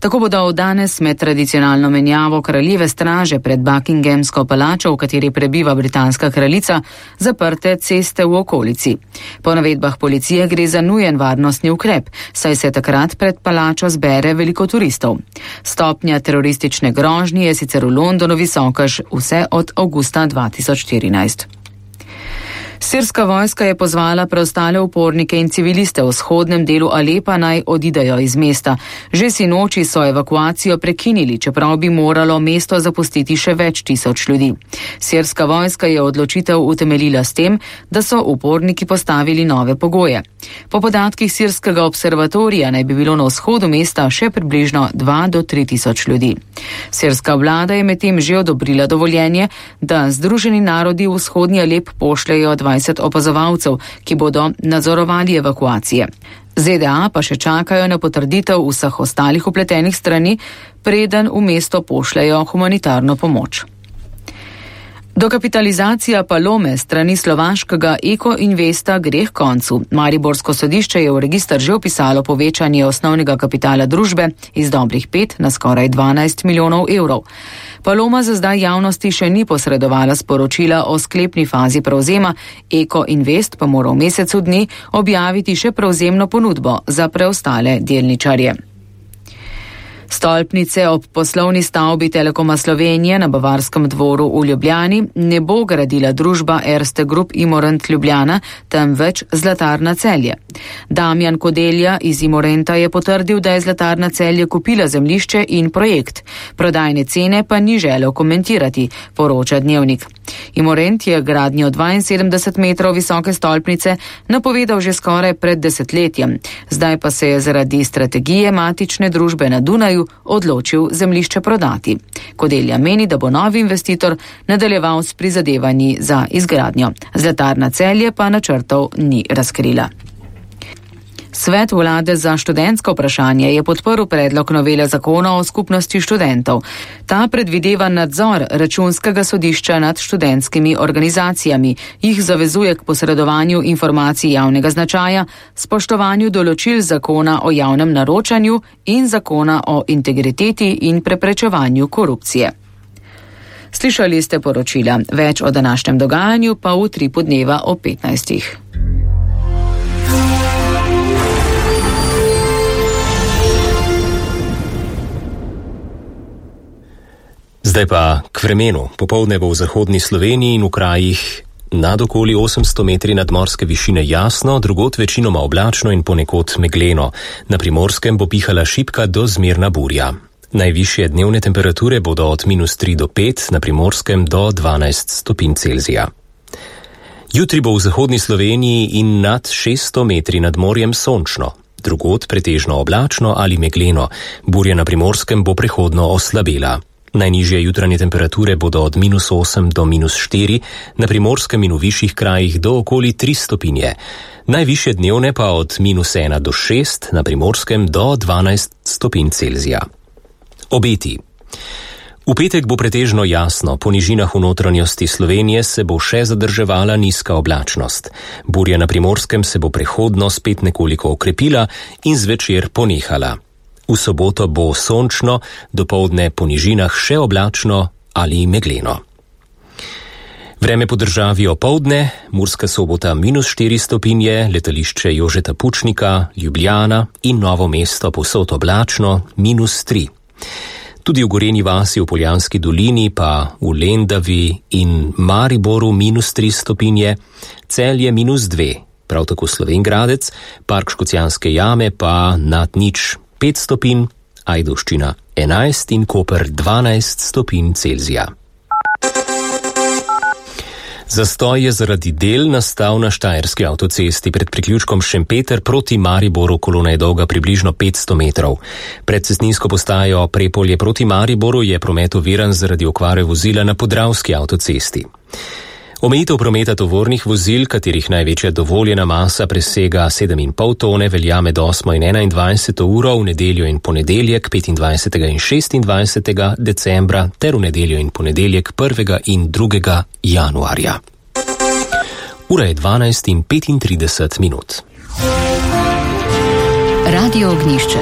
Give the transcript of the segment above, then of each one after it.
Tako bodo od danes med tradicionalno menjavo kraljeve straže pred Buckinghamsko palačo, v kateri prebiva britanska kraljica, zaprte ceste v okolici. Po navedbah policije gre za nujen varnostni ukrep, saj se takrat pred palačo zbere veliko turistov. Stopnja teroristične grožnje je sicer v Londonu visoka vse od avgusta 2014. Sirska vojska je pozvala preostale upornike in civiliste v vzhodnem delu Alepa naj odidejo iz mesta. Že sinoči so evakuacijo prekinili, čeprav bi moralo mesto zapustiti še več tisoč ljudi. Sirska vojska je odločitev utemeljila s tem, da so uporniki postavili nove pogoje. Po podatkih sirskega observatorija naj bi bilo na vzhodu mesta še približno 2 do 3 tisoč ljudi. Sirska vlada je medtem že odobrila dovoljenje, da Združeni narodi v vzhodni Alep pošljejo 20 opazovalcev, ki bodo nadzorovali evakuacije. ZDA pa še čakajo na potrditev vseh ostalih vpletenih strani, preden v mesto pošljejo humanitarno pomoč. Dokapitalizacija Palome strani slovaškega Eko Investa gre k koncu. Mariborsko sodišče je v register že opisalo povečanje osnovnega kapitala družbe iz dobrih 5 na skoraj 12 milijonov evrov. Paloma za zdaj javnosti še ni posredovala sporočila o sklepni fazi prevzema, Eko Invest pa mora v mesecu dni objaviti še prevzemno ponudbo za preostale delničarje. Stolpnice ob poslovni stavbi Telekoma Slovenije na Bavarskem dvoru v Ljubljani ne bo gradila družba Erste Group Imorent Ljubljana, temveč Zlatarna Celje. Damjan Kodelja iz Imorenta je potrdil, da je Zlatarna Celje kupila zemljišče in projekt. Prodajne cene pa ni želel komentirati, poroča Dnevnik. Imorent je gradnjo 72 metrov visoke stolpnice napovedal že skoraj pred desetletjem. Zdaj pa se je zaradi strategije matične družbe na Dunaju odločil zemljišče prodati. Kodelja meni, da bo novi investitor nadaljeval s prizadevanji za izgradnjo. Zlatarna Celje pa načrtov ni razkrila. Svet vlade za študentsko vprašanje je podprl predlog novele zakona o skupnosti študentov. Ta predvideva nadzor Računskega sodišča nad študentskimi organizacijami, jih zavezuje k posredovanju informacij javnega značaja, spoštovanju določil zakona o javnem naročanju in zakona o integriteti in preprečevanju korupcije. Slišali ste poročila. Več o današnjem dogajanju pa v Tripu dneva o 15. Zdaj pa k vremenu. Popoldne bo v zahodni Sloveniji in v krajih nad okoli 800 metri nadmorske višine jasno, drugod večinoma oblačno in ponekod megleno. Na Primorskem bo pihala šibka do zmerna burja. Najvišje dnevne temperature bodo od -3 do 5, na Primorskem do 12 stopinj Celzija. Jutri bo v zahodni Sloveniji in nad 600 metri nad morjem sončno, drugod pretežno oblačno ali megleno. Burja na Primorskem bo prehodno oslabela. Najnižje jutranje temperature bodo od -8 do -4, na Primorskem in v višjih krajih do okoli 3 stopinje. Najvišje dnevne pa od -1 do 6, na Primorskem do 12 stopinj Celzija. Obeti. V petek bo pretežno jasno, po nižinah v notranjosti Slovenije se bo še zadrževala nizka oblačnost. Burja na Primorskem se bo prehodno spet nekoliko okrepila in zvečer ponehala. V soboto bo sončno, dopoldne po nižinah še oblačno ali megleno. Vreme po državi opoldne, Murska Sobota -4 stopinje, letališče Jožeta Pučnika, Ljubljana in Novo mesto povsod oblačno -3. Tudi v Gorenji vasi v Poljanski dolini pa v Lendavi in Mariboru -3 stopinje, Celje -2, prav tako Slovenj Gradec, Park Škocjanske jame pa nad 5 stopinj, Ajdovščina 11 in Koper 12 stopinj Celzija. Zastoj je zaradi del nastal na Štajerski avtocesti pred priključkom Šempeter proti Mariboru, kolona je dolga približno 500 metrov. Pred cestninsko postajo Prepolje proti Mariboru je promet oviran zaradi okvare vozila na Podravski avtocesti. Omejitev prometa tovornih vozil, katerih največja dovoljena masa presega 7,5 tone, velja med 8. in 21. uro v nedeljo in ponedeljek 25. in 26. decembra ter v nedeljo in ponedeljek 1. in 2. januarja. Ura je 12:35 minut. Radio Ognjišče.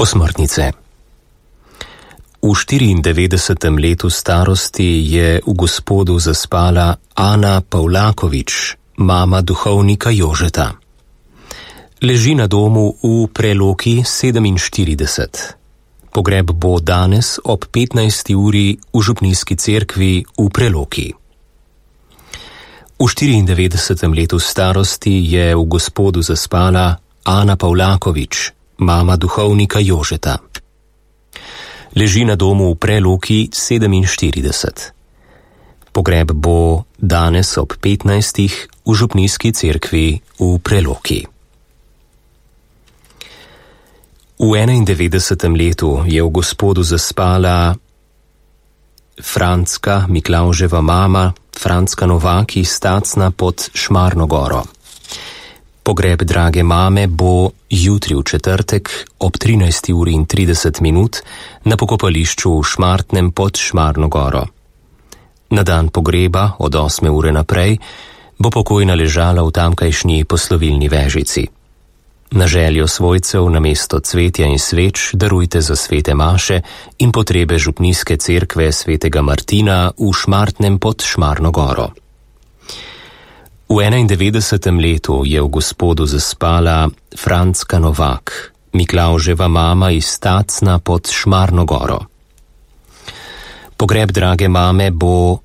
Osmrtnice. V 94. letu starosti je v Gospodu zaspala Ana Pavlakovič, mama duhovnika Jožeta. Leži na domu v Preloki 47. Pogreb bo danes ob 15. uri v župnijski cerkvi v Preloki. V 94. letu starosti je v Gospodu zaspala Ana Pavlakovič, mama duhovnika Jožeta. Leži na domu v Preloki 47. Pogreb bo danes ob 15. v župnijski cerkvi v Preloki. V 91. letu je v Gospodu zaspala Franska Miklavževa mama, Franska Novaki, Stacna pod Šmarno goro. Pogreb drage mame bo jutri v četrtek ob 13:30 na pokopališču v Šmartnem pod Šmarno goro. Na dan pogreba od 8. ure naprej bo pokojna ležala v tamkajšnji poslovilni vežici. Na željo svojcev namesto cvetja in sveč darujte za svete maše in potrebe župnijske cerkve svetega Martina v Šmartnem pod Šmarno goro. V 91. letu je v Gospodu zaspala Franska Novak, Miklavževa mama iz Stacna pod Šmarno goro. Pogreb drage mame bo